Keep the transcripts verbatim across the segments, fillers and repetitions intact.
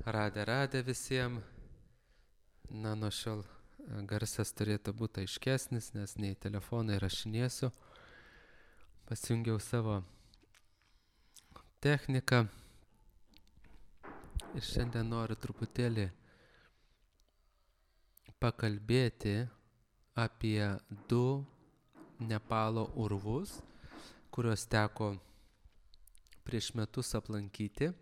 Radę, radę visiems. Na, nuo šiol garsas turėtų būti aiškesnis, nes nei telefonai rašinėsiu. Pasijungiau savo techniką. Ir šiandien noriu truputėlį pakalbėti apie du Nepalo urvus, kuriuos teko prieš metus aplankyti.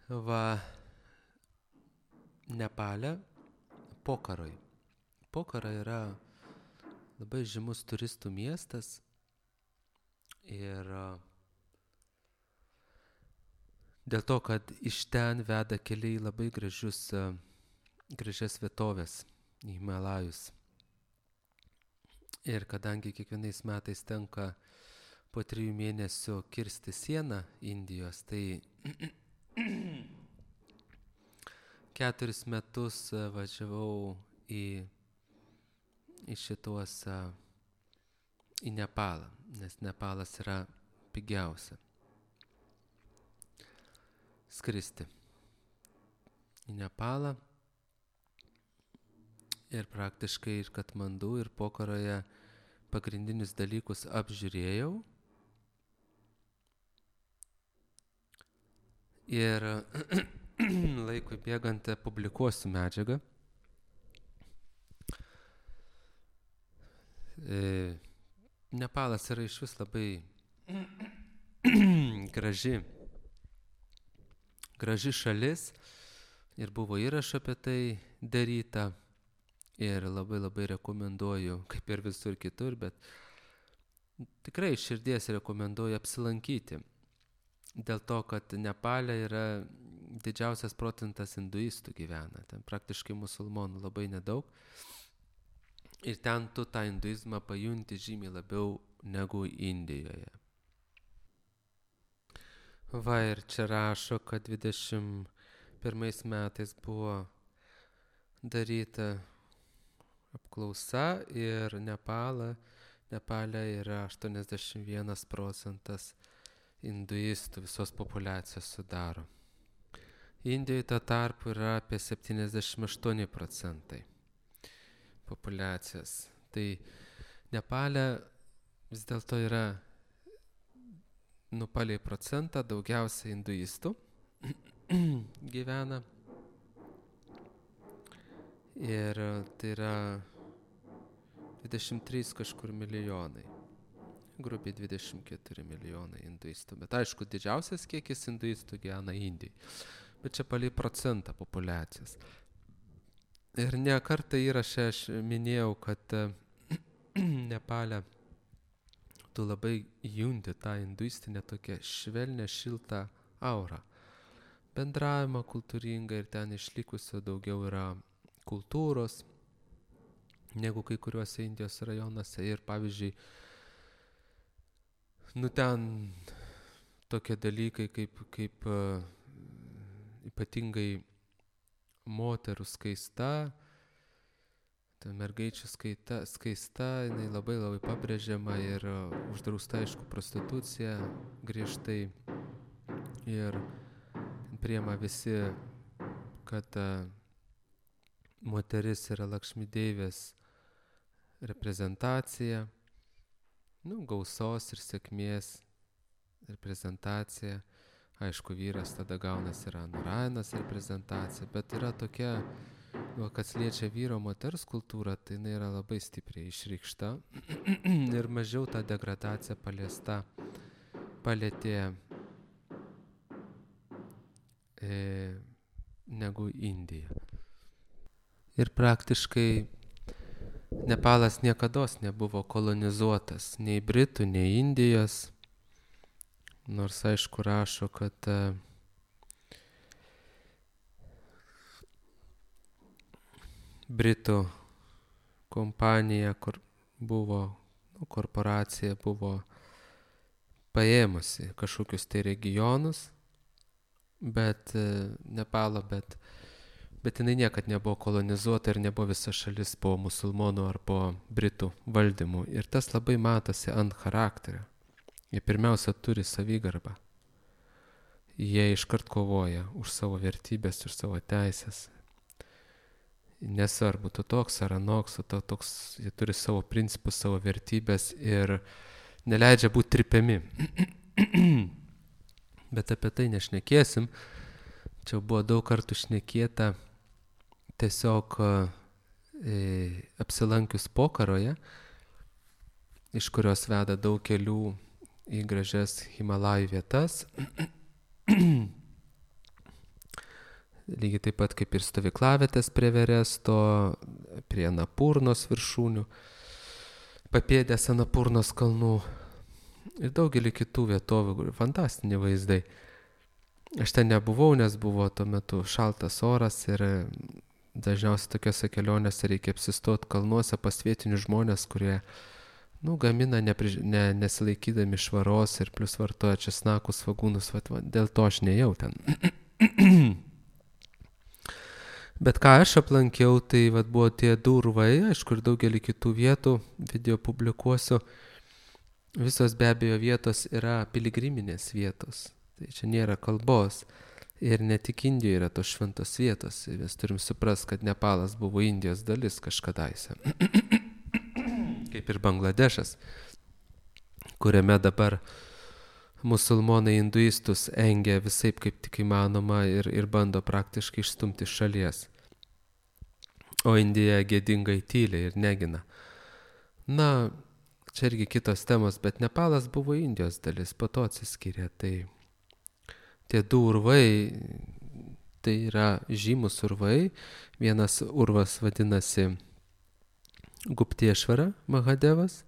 Va, Nepale, Pokarai. Pokara yra labai žymus turistų miestas ir dėl to, kad iš ten veda keliai labai gražius, gražias vietovės į Himalajus. Ir kadangi kiekvienais metais tenka po trijų mėnesių kirsti sieną Indijos, tai keturis metus važiavau į, į šituos, į Nepalą, nes Nepalas yra pigiausia skristi į Nepalą. Ir praktiškai ir Katmandu, ir Pokaroje pagrindinius dalykus apžiūrėjau. Ir laikui bėgant publikuosiu medžiagą. E, Nepalas yra iš vis labai graži, graži šalis ir buvo įrašų apie tai daryta. Ir labai labai rekomenduoju, kaip ir visur kitur, bet tikrai iš širdies rekomenduoju apsilankyti. Dėl to, kad Nepale yra didžiausias procentas hinduistų gyvena. Ten praktiškai musulmonų labai nedaug. Ir ten tu tą hinduizmą pajunti žymiai labiau negu Indijoje. Va, ir čia rašo, kad dvidešimt pirmais metais buvo daryta apklausa ir Nepalą, Nepale yra aštuoniasdešimt vienas procentas hinduistų visos populiacijos sudaro. Indijoje tuo tarpu yra apie septyniasdešimt aštuoni procentai populiacijos. Tai Nepale vis dėlto yra nupaliai procentą daugiausia hinduistų gyvena. Ir tai yra dvidešimt trys kažkur milijonai. Grubiai dvidešimt keturi milijonai hinduistų. Bet aišku, didžiausias kiekis hinduistų gyvena Indijai. Bet čia palei procentą populiacijos. Ir ne kartą įraše aš minėjau, kad Nepale tu labai junti tą hinduistinę tokią švelnę, šiltą aurą. Bendravimą kultūringą ir ten išlikusio daugiau yra kultūros negu kai kuriuose Indijos rajonuose. Ir pavyzdžiui, nu ten tokie dalykai kaip, kaip uh, ypatingai moterų skaista, ta mergaičių skaita, skaista, jinai labai labai pabrėžiama ir uh, uždrausta, aišku, prostitucija griežtai. Ir priima visi, kad uh, moteris yra Lakšmi Deivės reprezentacija, nu, gausos ir sėkmės reprezentacija. Aišku, vyras tada gaunas yra Narayanas reprezentacija, bet yra tokia, nu, kas liečia vyro moters kultūrą, tai jinai yra labai stipriai išreikšta ir mažiau ta degradacija paliesta, palėtė e, negu Indija. Ir praktiškai Nepalas niekados nebuvo kolonizuotas nei Britų, nei Indijos. Nors aišku rašo, kad uh, Britų kompanija, kur buvo, nu, korporacija buvo paėmusi kažkokius tai regionus, bet uh, Nepalo, bet Bet jinai niekad nebuvo kolonizuota ir nebuvo visa šalis po musulmonų ar po Britų valdymų. Ir tas labai matosi ant charakterio. Jie pirmiausia turi savigarbą. jie iškart kovoja už savo vertybės ir savo teisės. Nesvarbu, tu toks ar anoks, tu toks, jie turi savo principus, savo vertybės ir neleidžia būti tripiami. Bet apie tai nešnekėsim. Čia buvo daug kartų šnekėta tiesiog e, apsilankius Pokaroje, iš kurios veda daug kelių į gražias Himalajų vietas. Lygiai taip pat kaip ir stovyklavietės prie Everesto, prie Anapurnos viršūnių, papėdės Anapurnos kalnų ir daugelį kitų vietovių, fantastiniai vaizdai. Aš ten nebuvau, nes buvo tuo metu šaltas oras ir dažniausiai tokiose kelionėse reikia apsistoti kalnuose pas vietinius žmonės, kurie nu, gamina nepriž... ne, nesilaikydami švaros ir plus vartoja česnakus, svagūnus, va, va, dėl to aš nejau ten. Bet ką aš aplankiau, tai va, buvo tie du urvai, aišku, ir daugelį kitų vietų, video publikuosiu. Visos be abejo vietos yra piligriminės vietos, tai čia nėra kalbos. Ir ne tik Indijoje yra tos šventos vietos, mes turim suprast, kad Nepalas buvo Indijos dalis kažkadaise. Kaip ir Bangladešas, kuriame dabar musulmonai hinduistus engia visaip kaip tik įmanoma ir, ir bando praktiškai išstumti iš šalies. O Indija gėdingai tyliai ir negina. Na, čia irgi kitos temos, bet Nepalas buvo Indijos dalis, po to atsiskyrė. Tai tie du urvai, tai yra žymus urvai. Vienas urvas vadinasi Guptiešvara Mahadevas,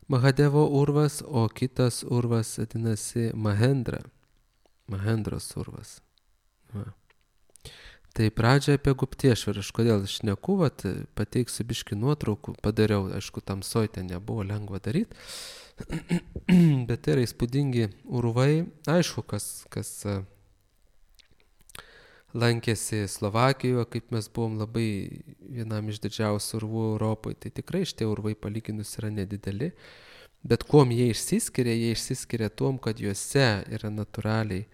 Mahadevo urvas, o kitas urvas vadinasi Mahendra, Mahendros urvas. Va. Tai pradžia apie Guptiešvarą, aš kodėl šneku, vat, pateiksiu biškį nuotraukų, padariau, aišku, tamsoj ten nebuvo lengva daryti, bet tai yra įspūdingi urvai, aišku, kas, kas lankėsi Slovakijoje, kaip mes buvom labai vienam iš didžiausių urvų Europoje, tai tikrai šitie urvai palyginus yra nedideli, bet kuom jie išsiskiria, jie išsiskiria tuom, kad juose yra natūraliai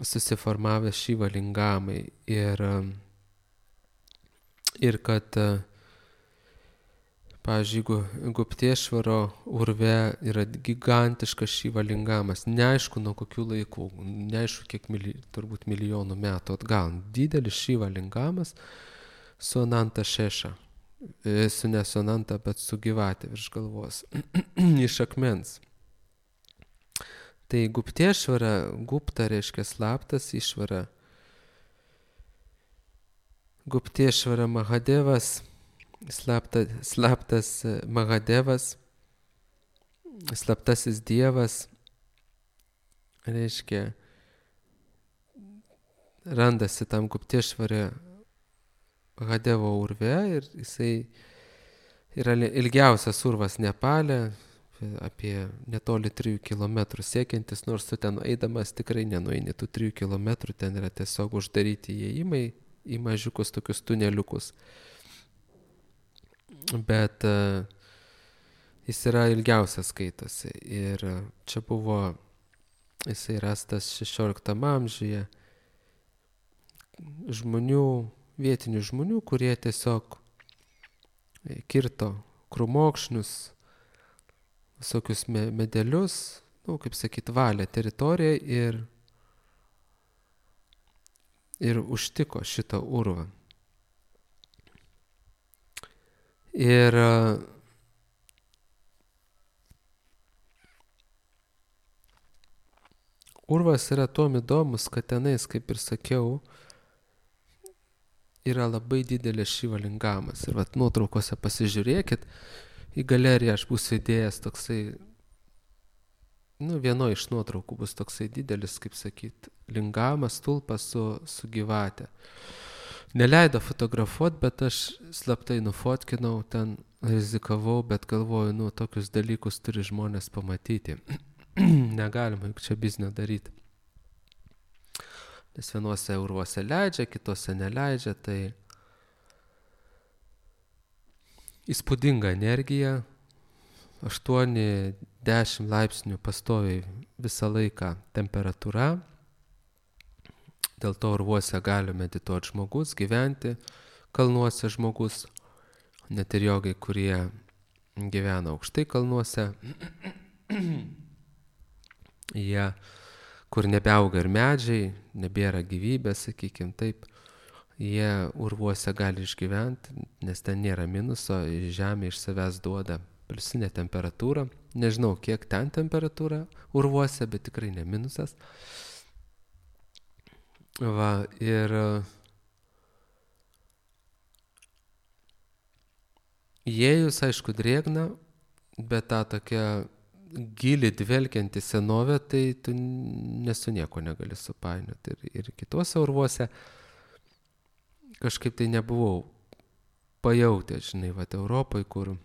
susiformavę šivalingamai ir, ir kad, pavyzdžiui, Guptiešvaro urve yra gigantiškas šivalingamas, neaišku nuo kokių laikų, neaišku kiek mili, turbūt milijonų metų atgal, didelis šivalingamas su Ananta Šeša, su ne su Ananta, bet su gyvatė virš galvos, iš akmens. Tai Guptiešvara, Gupta reiškia slaptas, išvara. Guptiešvara Mahadevas, slapta, slaptas Mahadevas, slaptasis dievas, reiškia, randasi tam Guptiešvare Mahadevo urve ir jisai yra ilgiausias urvas Nepale, apie netoli trijų kilometrų siekiantis, nors tu ten eidamas tikrai nenueini tų trijų kilometrų, ten yra tiesiog uždaryti įėjimai į mažiukus tokius tuneliukus. Bet uh, jis yra ilgiausias skaitosi ir uh, čia buvo, jisai rastas šešioliktam amžiuje žmonių, vietinių žmonių, kurie tiesiog kirto krūmokšnius, visokius medelius, nu, kaip sakyt, valė teritoriją ir, ir užtiko šitą urvą. Ir urvas yra tuom įdomus, kad tenais, kaip ir sakiau, yra labai didelis šivalingamas. Ir vat nuotraukose pasižiūrėkit, į galeriją aš būsiu įdėjęs toksai, nu, vieno iš nuotraukų bus toksai didelis, kaip sakyt, lingamas stulpas su, su gyvate. Neleido fotografuoti, bet aš slaptai nufotkinau, ten rizikavau, bet galvoju, nu, tokius dalykus turi žmonės pamatyti. Negalima juk čia biznio daryti. Nes vienuose urvuose leidžia, kitose neleidžia, tai įspūdinga energija, aštuoni dešimt laipsnių pastoviai visą laiką temperatūra. Dėl to urvuose gali medituoti žmogus, gyventi kalnuose žmogus, net ir jogai, kurie gyvena aukštai kalnuose. Jie, kur nebeauga ir medžiai, nebėra gyvybės, sakykim taip, jie urvuose gali išgyventi, nes ten nėra minuso, žemė iš savęs duoda pliusinę temperatūrą. Nežinau, kiek ten temperatūra urvuose, bet tikrai ne minusas. Va, ir įėjus, aišku, drėgna, bet tą tokią gilį dvelkianti senovė, tai tu nesu nieko negali supainioti. Ir, ir kituose urvuose kažkaip tai nebuvau pajautęs, žinai, va, Europoje, kur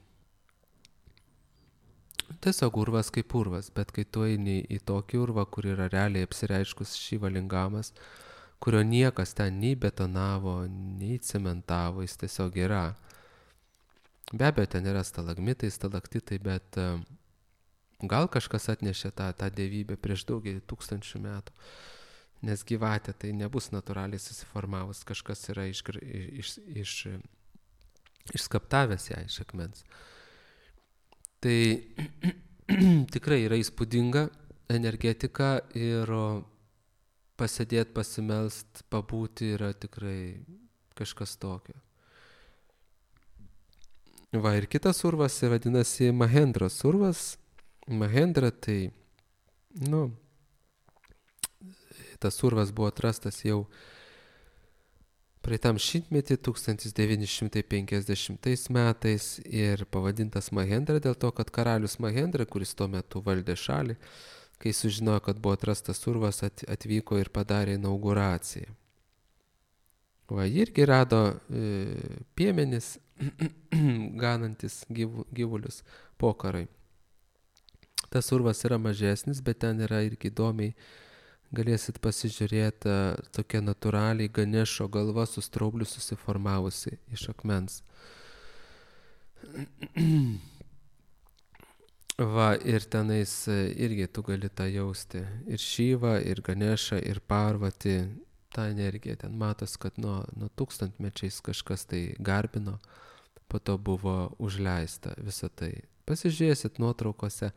tiesiog urvas kaip urvas, bet kai tu eini į tokį urvą, kur yra realiai apsireiškus Šiva lingamas, kurio niekas ten nei betonavo, nei cementavo, jis tiesiog yra. Be abejo, ten yra stalagmitai, stalaktitai, bet uh, gal kažkas atnešė tą, tą dievybę prieš daugelį tūkstančių metų, nes gyvatė tai nebus natūraliai susiformavus, kažkas yra iš, iš, iš, išskaptavęs ją iš akmens. Tai tikrai yra įspūdinga energetika ir pasėdėti, pasimelst, pabūti yra tikrai kažkas tokio. Va, ir kitas urvas vadinasi Mahendros urvas. Mahendra tai, nu, tas urvas buvo atrastas jau praeitam šimtmetį, tūkstantis devyni šimtai penkiasdešimtais metais ir pavadintas Mahendra dėl to, kad karalius Mahendra, kuris tuo metu valdė šalį, kai sužinojo, kad buvo atrastas urvas, atvyko ir padarė inauguraciją. Va, irgi rado e, piemenis, ganantis gyvu, gyvulius pokarai. Tas urvas yra mažesnis, bet ten yra irgi įdomiai, galėsit pasižiūrėti, tokia natūraliai Ganešo galva su straubliu susiformavusi iš akmens. Va, ir tenais irgi tu gali tą jausti. Ir Šyva, ir Ganešą, ir Parvati, tą energiją. Ten matos, kad nuo, nuo tūkstantmečiais kažkas tai garbino, po to buvo užleista visą tai. Pasižiūrėsit nuotraukose.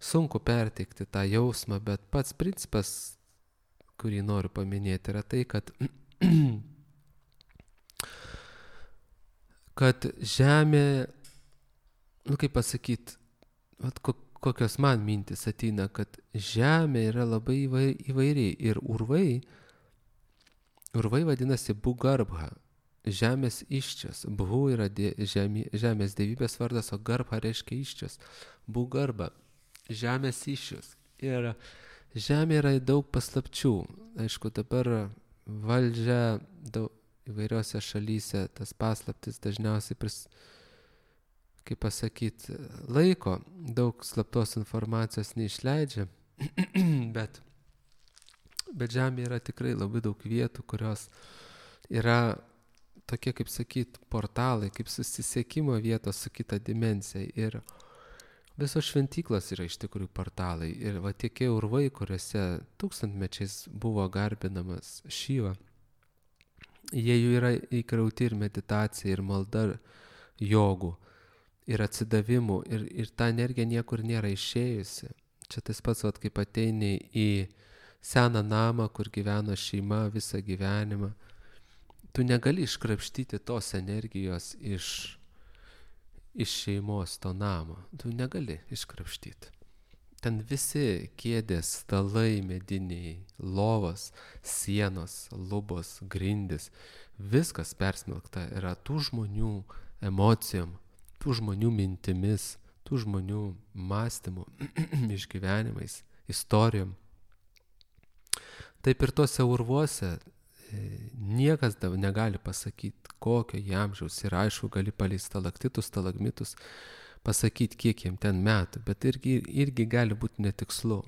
Sunku perteikti tą jausmą, bet pats principas, kurį noriu paminėti, yra tai, kad, kad žemė, nu kaip pasakyti, kokios man mintis ateina, kad žemė yra labai įvairiai ir urvai, urvai vadinasi Bhugarbha, žemės iščias. Bhu yra dė, žemė, žemės dievybės vardas, o Garbha reiškia iščias. Bhugarbha. Žemės iščius. Ir žemė yra daug paslapčių. Aišku, dabar valdžia daug, įvairiose šalyse tas paslaptis dažniausiai, pris, kaip pasakyti, laiko, daug slaptos informacijos neišleidžia, bet, bet žemė yra tikrai labai daug vietų, kurios yra tokie, kaip sakyti, portalai, kaip susisiekimo vietos su kita dimensija. Ir visos šventyklos yra iš tikrųjų portalai. Ir va tie urvai, kuriuose tūkstantmečiais buvo garbinamas Šiva, jie jų yra įkrauti ir meditacija, ir malda, jogų, ir atsidavimų, ir, ir ta energija niekur nėra išėjusi. Čia tas pats, vat, kaip ateini į seną namą, kur gyveno šeima visą gyvenimą. Tu negali iškrapštyti tos energijos iš iš šeimos to namo. Tu negali iškrapštyti. Ten visi kėdės, stalai mediniai, lovos, sienos, lubos, grindys, viskas persmelkta yra tų žmonių emocijom, tų žmonių mintimis, tų žmonių mąstymų, išgyvenimais, istorijom. Taip ir tuose urvuose niekas negali pasakyti, kokio jie amžiaus. Ir aišku, gali palei stalaktitus, stalagmitus pasakyti, kiek jiem ten metų, bet irgi, irgi gali būti netikslu.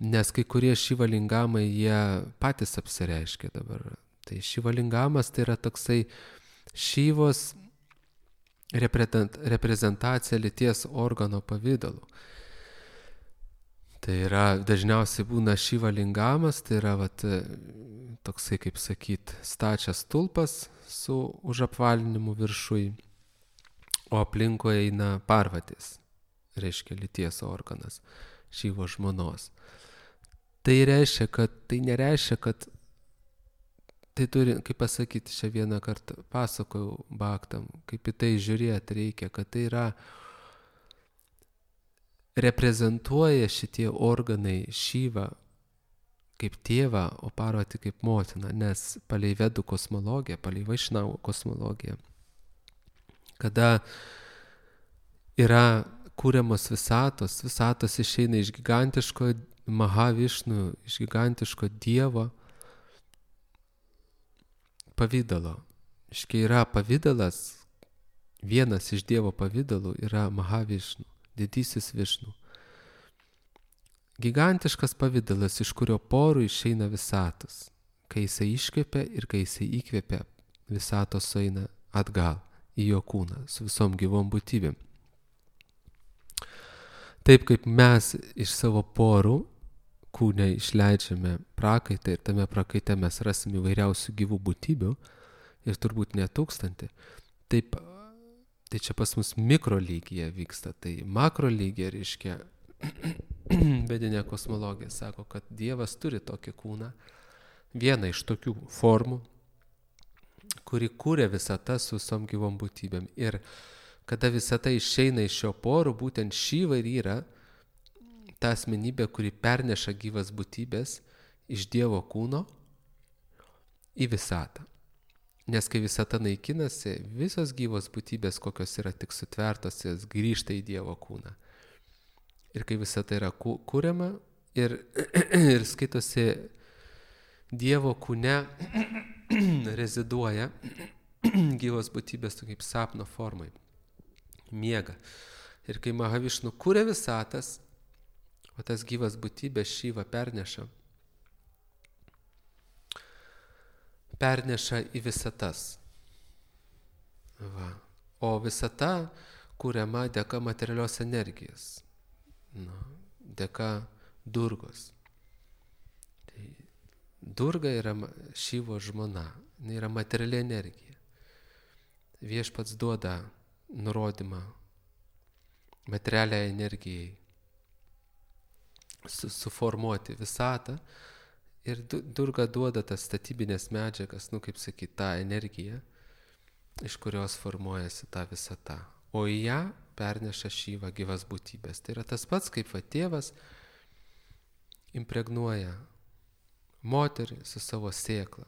Nes kai kurie šivalingamai, jie patys apsireiškia dabar. Tai šivalingamas tai yra toksai Šyvos reprezentacija lyties organo pavidalu. Tai yra, dažniausiai būna Šiva lingamas, tai yra vat, toksai, kaip sakyt, stačias stulpas su užapvalinimu viršui, o aplinkoje eina Parvatės, reiškia lyties organas, Šivo žmonos. Tai reiškia, kad, tai nereiškia, kad tai turi, kaip pasakyti, šią vieną kartą pasakojau Bhaktam, kaip į tai žiūrėti reikia, kad tai yra, reprezentuoja šitie organai Šivą kaip tėvą, o Parvati kaip motiną, nes palei Vedų kosmologiją, palei Vaišnavų kosmologiją, kada yra kūriamos visatos, visatos išeina iš gigantiško Mahavišnų, iš gigantiško Dievo pavydalo. Iškai yra pavydalas, vienas iš Dievo pavydalų yra Mahavišnų, didysis Višnų. Gigantiškas pavydalas, iš kurio porų išeina visatos. Kai jisai iškvepia ir kai jisai įkvepia, visatos sueina atgal į jo kūną su visom gyvom būtybėm. Taip kaip mes iš savo porų kūne išleidžiame prakaitą ir tame prakaite mes rasim įvairiausių gyvų būtybių ir turbūt ne tūkstantį, taip, tai čia pas mus mikro lygyje vyksta, tai makro lygyje reiškia, vedinė kosmologija sako, kad Dievas turi tokį kūną, vieną iš tokių formų, kuri kūrė visatą su visom gyvom būtybėm. Ir kada visata išeina iš šio porų, būtent Šiva ir yra ta asmenybė, kuri perneša gyvas būtybės iš Dievo kūno į visatą. Nes kai visata naikinasi, visos gyvos būtybės, kokios yra tik sutvertos, jas grįžta į Dievo kūną. Ir kai visata yra kuriama ir, ir skaitosi Dievo kūne reziduoja gyvos būtybės kaip sapno formai, miega. Ir kai Mahavišnu kuria visatas, o tas gyvas būtybės Šiva perneša, perneša į visatas. Va. O visata kuriama dėka materialios energijos, nu, dėka Durgos. Tai Durga yra Šivo žmona, jinai yra materiali energija. Viešpats duoda nurodymą materialiai energijai su, suformuoti visatą ir Durga duoda tas statybinės medžiagas, nu kaip sakyti, tą energiją, iš kurios formuojasi ta visata. O į ją perneša Šiva gyvas būtybės. Tai yra tas pats, kaip va tėvas impregnuoja moterį su savo sėkla.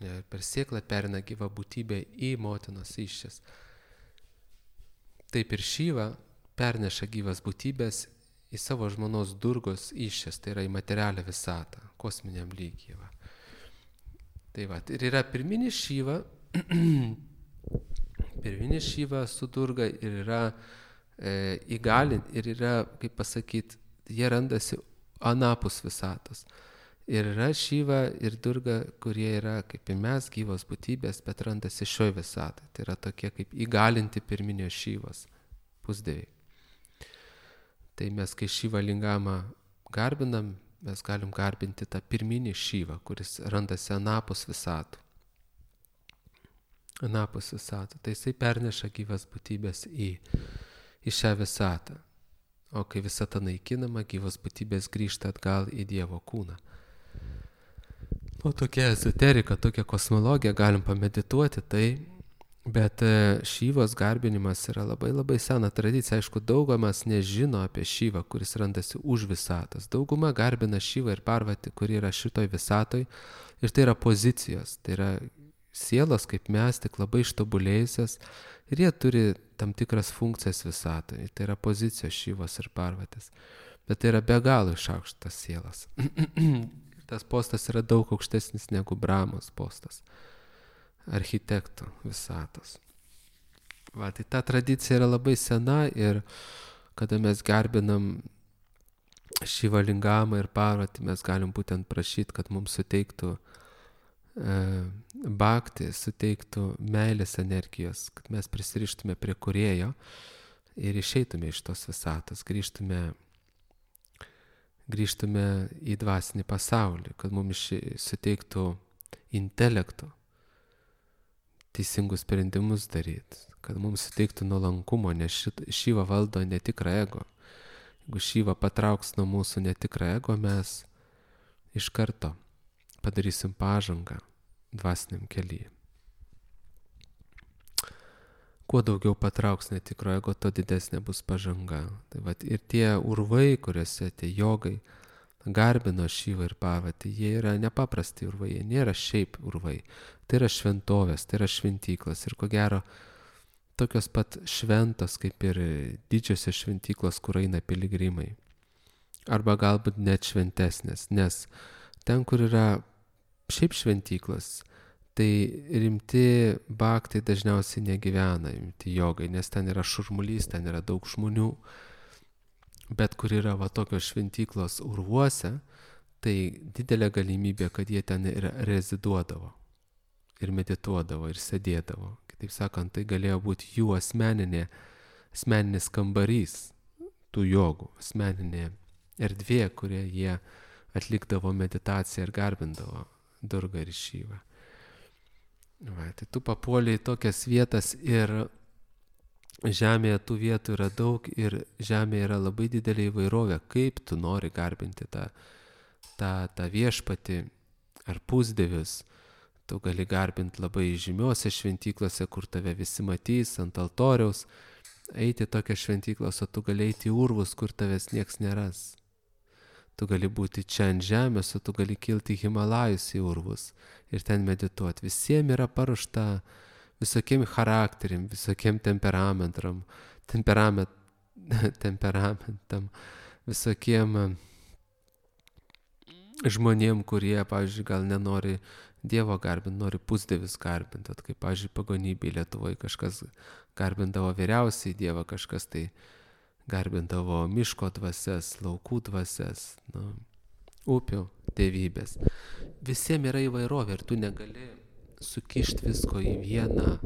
Ir per sėklą perina gyvą būtybę į motinos įsčias. Taip ir Šiva perneša gyvas būtybės į savo žmonos Durgos įsčias, tai yra į materialią visatą, kosminiam lygyje. Va. Tai va, ir yra pirminis Šiva, pirminis Šiva su Durga ir yra e, įgalint, ir yra, kaip pasakyti, jie randasi anapus visatos. Ir yra Šiva ir Durga, kurie yra kaip ir mes gyvos būtybės, bet randasi šioj visatai. Tai yra tokie kaip įgalinti pirminio Šivos pusdieviai. Tai mes, kai Šiva lingamą garbinam, mes galim garbinti tą pirminį Šivą, kuris randasi anapus visatų. Anapus visatų. Tai jisai perneša gyvas būtybės į, į šią visatą. O kai visata naikinama, gyvos būtybės grįžta atgal į Dievo kūną. O tokia ezoterika, tokia kosmologija, galim pamedituoti tai, bet Šivos garbinimas yra labai labai sena tradicija. Aišku, daugumas nežino apie Šivą, kuris randasi už visatos. Dauguma garbina Šivą ir Parvatį, kuri yra šitoj visatoj. Ir tai yra pozicijos, tai yra sielos kaip mes, tik labai ištobulėjusios. Ir jie turi tam tikras funkcijas visatoje. Tai yra pozicijos Šivos ir Parvatės. Bet tai yra be galo išaukštas sielas. Tas postas yra daug aukštesnis negu Brahmos postas, architekto visatos. Va, tai ta tradicija yra labai sena ir kada mes garbinam Šiva lingamą ir Parvatį, mes galim būtent prašyti, kad mums suteiktų bhakti suteiktų meilės energijos, kad mes prisirištume prie kūrėjo ir išeitume iš tos visatos, grįžtume, grįžtume į dvasinį pasaulį, kad mums suteiktų intelektų teisingus sprendimus daryti, kad mums suteiktų nuolankumo, nes Šiva valdo netikrą ego. Jeigu Šiva patrauks nuo mūsų netikrą ego, mes iš karto padarysim pažangą dvasiniam kelyje. Kuo daugiau patrauks netikro ego, to didesnė bus pažanga. Tai vat, ir tie urvai, kuriuose tie jogai garbino Šivą ir Parvatį, jie yra nepaprasti urvai, jie nėra šiaip urvai. Tai yra šventovės, tai yra šventyklos ir ko gero tokios pat šventos kaip ir didžiosios šventyklos, kur eina piligrimai. Arba galbūt net šventesnės, nes ten, kur yra šiaip šventyklos, tai rimti bhaktai dažniausiai negyvena, rimti jogai, nes ten yra šurmulys, ten yra daug žmonių. Bet kur yra va tokios šventyklos urvuose, tai didelė galimybė, kad jie ten ir reziduodavo, ir medituodavo, ir sėdėdavo. Kitaip sakant, tai galėjo būti jų asmeninė, asmeninis kambarys, tų jogų, asmeninė erdvė, kurie jie atlikdavo meditaciją ir garbindavo Durgą ir Šivą. Va, tai tu papuoliai į tokias vietas ir žemėje tų vietų yra daug ir žemėje yra labai didelė įvairovė, kaip tu nori garbinti tą, tą, tą viešpatį ar pusdievius. Tu gali garbinti labai žymiuose šventyklose, kur tave visi matys ant altoriaus, eiti tokią šventyklos, o tu gali eiti į urvus, kur tavęs nieks neras. Tu gali būti čia ant žemės, o tu gali kilti į Himalajus į urvus ir ten medituoti. Visiems yra paruošta visokiem charakteriam, visokiem temperamentam, temperament, temperamentam, visokiem žmonėm, kurie, pavyzdžiui, gal nenori Dievo garbinti, nori pusdievius garbinti. Kaip, pavyzdžiui, pagonybėje Lietuvoje kažkas garbindavo vyriausiai Dievą, kažkas tai garbindavo miško dvasias, laukų dvasias, nu, upių dievybės. Visiems yra įvairovė ir tu negali sukišti visko į vieną,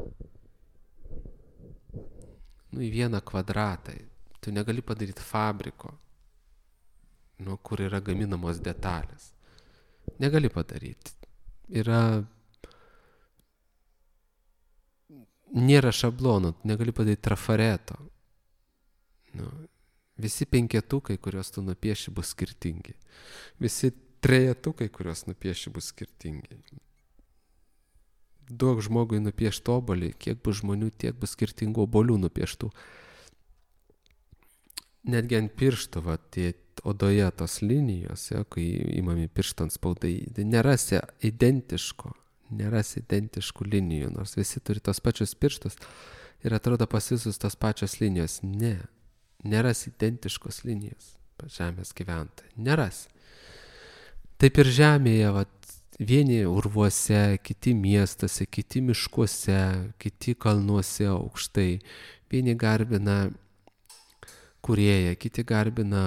nu, į vieną kvadratą. Tu negali padaryti fabriko, nu, kur yra gaminamos detalės. Negali padaryti. Yra, nėra šablonų, negali padaryti trafareto. Nu, visi penketukai, kuriuos tu nupieši, bus skirtingi. Visi trejetukai, kuriuos nupieši, bus skirtingi. Duok žmogui nupiešti obolį, kiek bus žmonių, tiek bus skirtingų obolių nupieštų. Netgi ant piršto, va, tie odoje tos linijos, ja, kai įmami piršto ant spaudai, tai nerasi identiško, nerasi identiškų linijų, nors visi turi tos pačius pirštus ir atrodo pas visus tos pačios linijos. Ne. Neras identiškos linijos žemės gyventojai. Neras. Taip ir žemėje, vat, vieni urvuose, kiti miestuose, kiti miškuose, kiti kalnuose aukštai. Vieni garbina kūrėją, kiti garbina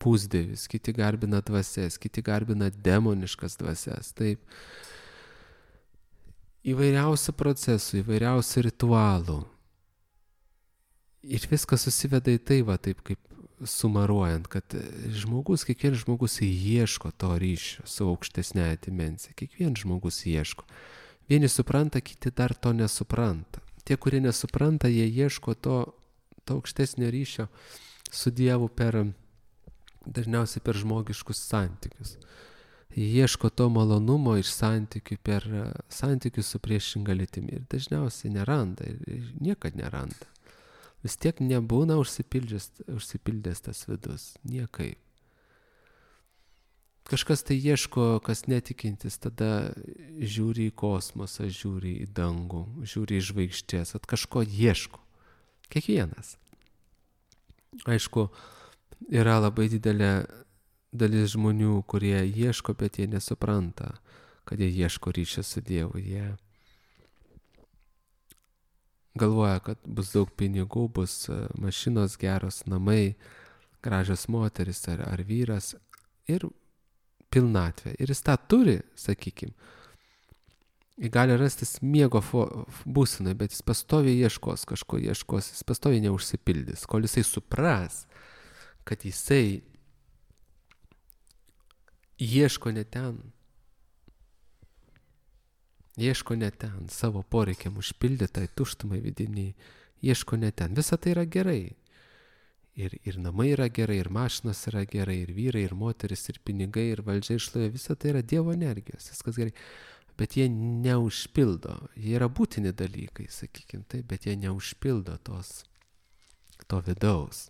pusdievius, kiti garbina dvasias, kiti garbina demoniškas dvasias. Taip. Įvairiausių procesų, įvairiausių ritualų. Ir viskas susiveda į tai, va, taip kaip sumaruojant, kad žmogus, kiekvienas žmogus ieško to ryšio su aukštesnėje dimensija. Kiekvienas žmogus ieško. Vieni supranta, kiti dar to nesupranta. Tie, kurie nesupranta, jie ieško to, to aukštesnio ryšio su Dievu per, dažniausiai per žmogiškus santykius. Jie ieško to malonumo iš santykių per santykius su priešinga lytimi. Ir dažniausiai neranda, ir niekad neranda. Vis tiek nebūna užsipildęs, užsipildęs tas vidus. Niekaip. Kažkas tai ieško, kas netikintis, tada žiūri į kosmosą, žiūri į dangų, žiūri į žvaigždės, at kažko ieško. Kiekvienas. Aišku, yra labai didelė dalis žmonių, kurie ieško, bet jie nesupranta, kad jie ieško ryšio su Dievu. Jie galvoja, kad bus daug pinigų, bus mašinos geros, namai, gražios moteris ar, ar vyras ir pilnatvė. Ir jis tą turi, sakykim, Jis gali rastis miego būsenai, bet jis pastoviai ieškos kažko, ieškos, jis pastoviai neužsipildys, kol jisai supras, kad jisai ieško ne ten, ieško ne ten, savo poreikiam užpildytai tuštumai vidiniai, ieško ne ten. Visa tai yra gerai. Ir, ir namai yra gerai, ir mašinos yra gerai, ir vyrai, ir moteris, ir pinigai, ir valdžia išlovė. Visa tai yra Dievo energijos, viskas gerai. Bet jie neužpildo. Jie yra būtini dalykai, sakykime taip, bet jie neužpildo tos, to vidaus.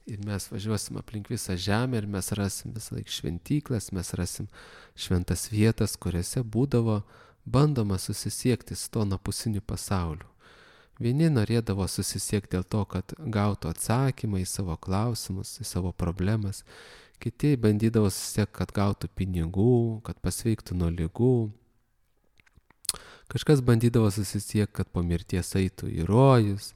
Ir mes važiuosim aplink visą žemę ir mes rasim visą laiką šventyklas, mes rasim šventas vietas, kuriuose būdavo bandoma susisiekti su to napusiniu pasauliu. Vieni norėdavo susisiekti dėl to, kad gautų atsakymą į savo klausimus, į savo problemas. Kiti bandydavo susisiekti, kad gautų pinigų, kad pasveiktų nuo ligų. Kažkas bandydavo susisiekti, kad po mirties eitų į rojus.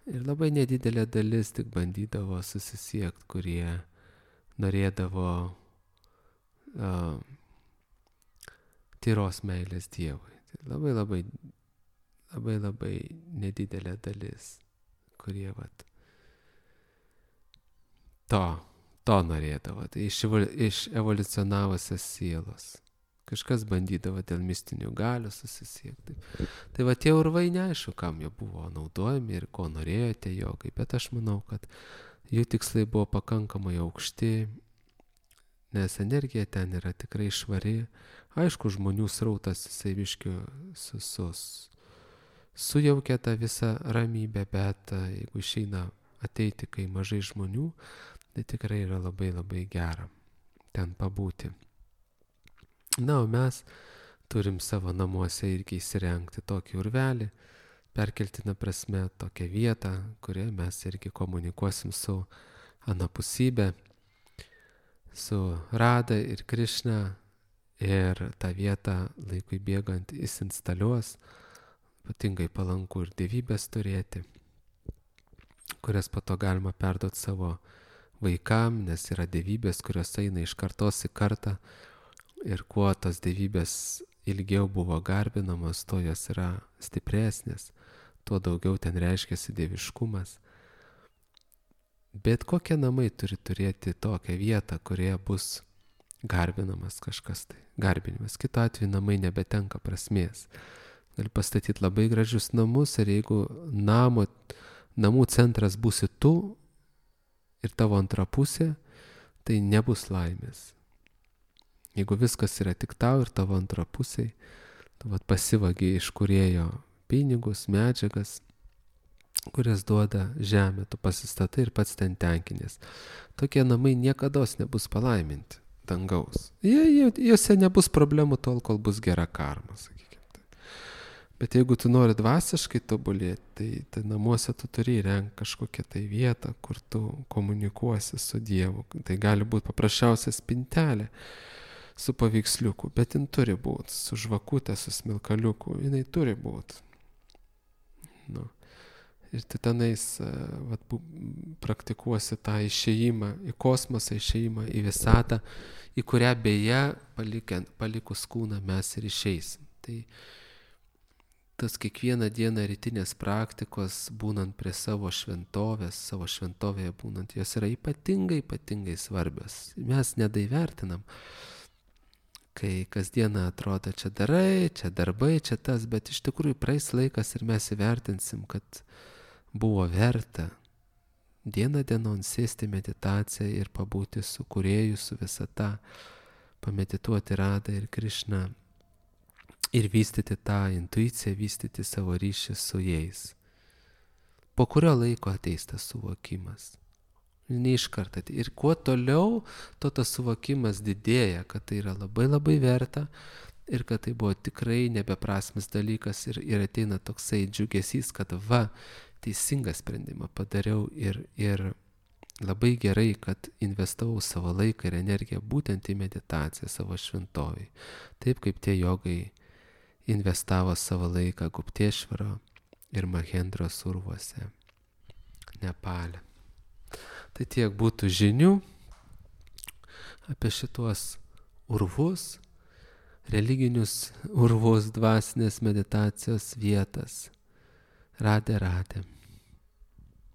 Ir labai nedidelė dalis tik bandydavo susisiekti, kurie norėdavo uh, tyros meilės Dievui. Tai labai labai labai labai nedidelė dalis, kurie vat, to, to norėdavo, tai iš, iš evoliucionavusios sielos. Kažkas bandydavo dėl mistinių galių susisiekti. Tai va tie urvai neaišku, kam jie buvo naudojami ir ko norėjo tie jogai, bet aš manau, kad jų tikslai buvo pakankamai aukšti, nes energija ten yra tikrai švari. Aišku, žmonių srautas jisai biškį susus. Sujaukia tą visą ramybę, bet jeigu išeina ateiti, kai mažai žmonių, tai tikrai yra labai labai gera ten pabūti. Na, o mes turim savo namuose irgi įsirengti tokį urvelį, perkeltina prasme tokią vietą, kurioje mes irgi komunikuosim su anapusybė, su Rada ir Krišna, ir tą vietą laikui bėgant įsinstaliuos. Ypatingai palanku ir dievybės turėti, kurias po to galima perduoti savo vaikam, nes yra dievybės, kurios eina iš kartos į kartą ir kuo tos dievybės ilgiau buvo garbinamos, to jos yra stipresnės, tuo daugiau ten reiškiasi dieviškumas. Bet kokie namai turi turėti tokią vietą, kurioje bus garbinamas kažkas tai, garbinimas. Kitu atveju namai nebetenka prasmės. Gali pastatyti labai gražius namus ir jeigu namo, namų centras būsi tu ir tavo antra pusė, tai nebus laimės. Jeigu viskas yra tik tau ir tavo antra pusė, tu vat pasivagi iš kūrėjo pinigus, medžiagas, kurias duoda žemė, tu pasistatai ir pats ten tenkinės. Tokie namai niekados nebus palaiminti dangaus. Jie, jie, juose nebus problemų tol, kol bus gera karma, sakykime. Bet jeigu tu nori dvasiškai tobulėti, tai, tai namuose tu turi įrengti kažkokią tai vietą, kur tu komunikuosi su Dievu. Tai gali būti paprasčiausia spintelė su paveiksliuku, bet jin turi būti, su žvakutė, su smilkaliuku, jinai turi būti. Nu. Ir tu tenais vat, praktikuosi tą išėjimą į kosmosą, išėjimą į visatą, į kurią beje palikiant, palikus kūną mes ir išeisim. Tai tas kiekvieną dieną rytinės praktikos, būnant prie savo šventovės, savo šventovėje būnant, jos yra ypatingai, ypatingai svarbios. Mes nedaivertinam, kai kasdieną atrodo, čia darai, čia darbai, čia tas, bet iš tikrųjų praeis laikas ir mes įvertinsim, kad buvo verta dieną dienon sėsti meditaciją ir pabūti su kūrėju, su visata, pamedituoti Radą ir Krišną ir vystyti tą intuiciją, vystyti savo ryšį su jais. Po kurio laiko ateis tas suvokimas. Ne iš karto. Ir kuo toliau, to tas suvokimas didėja, kad tai yra labai labai verta ir kad tai buvo tikrai nebeprasmis dalykas ir, ir ateina toksai džiugesys, kad va, teisingą sprendimą padariau ir, ir labai gerai, kad investavau savo laiką ir energiją būtent į meditaciją savo šventovėj. Taip kaip tie jogai investavo savo laiką Guptešvaro ir Mahendros urvuose, Nepale. Tai tiek būtų žinių apie šituos urvus. religinius urvus, dvasinės meditacijos vietas. Radė, radė.